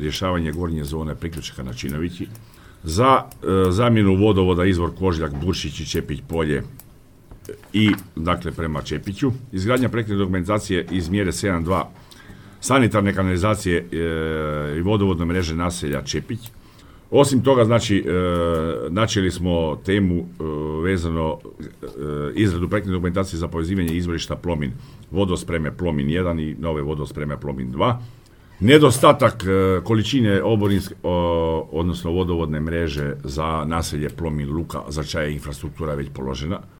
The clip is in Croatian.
rješavanje gornje zone priključaka na Činovići, za zamjenu vodovoda izvor Kožljak, Buršić i Čepić polje i dakle prema Čepiću, izgradnja projektne dokumentacije iz mjere 7.2 sanitarne kanalizacije i vodovodne mreže naselja Čepić. Osim toga, znači, načeli smo temu vezano izradu projektne dokumentacije za povezivanje izvorišta Plomin, vodospreme Plomin 1 i nove vodospreme Plomin 2. Nedostatak količine odnosno vodovodne mreže za naselje Plomin Luka, za čija je infrastruktura već položena.